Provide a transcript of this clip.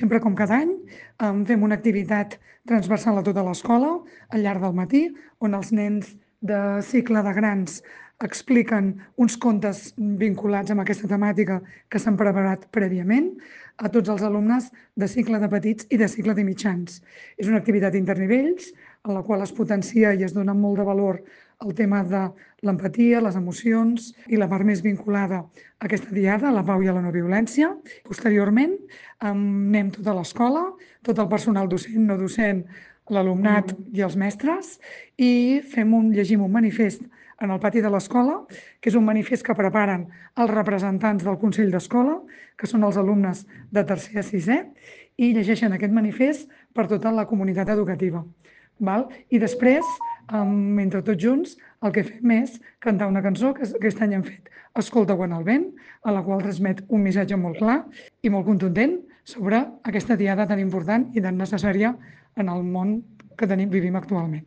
sempre com cada any, fem una activitat transversal a tota l'escola al llarg del matí, on els nens de cicle de grans expliquen uns contes vinculats amb aquesta temàtica que s'han preparat prèviament a tots els alumnes de cicle de petits i de cicle de mitjans. És una activitat internivells en la qual es potencia i es dona molt de valor el tema de l'empatia, les emocions i la part més vinculada a aquesta diada, a la pau i a la no violència. Posteriorment, anem tota l'escola, tot el personal docent, no docent, l'alumnat i els mestres, i llegim un manifest en el pati de l'escola, que és un manifest que preparen els representants del Consell d'Escola, que són els alumnes de tercer a sisè, i llegeixen aquest manifest per tota la comunitat educativa. I després, entre tots junts, el que fem és cantar una cançó que aquest any hem fet Escolta quan el vent, a la qual transmet un missatge molt clar i molt contundent sobre aquesta diada tan important i tan necessària en el món que vivim actualment.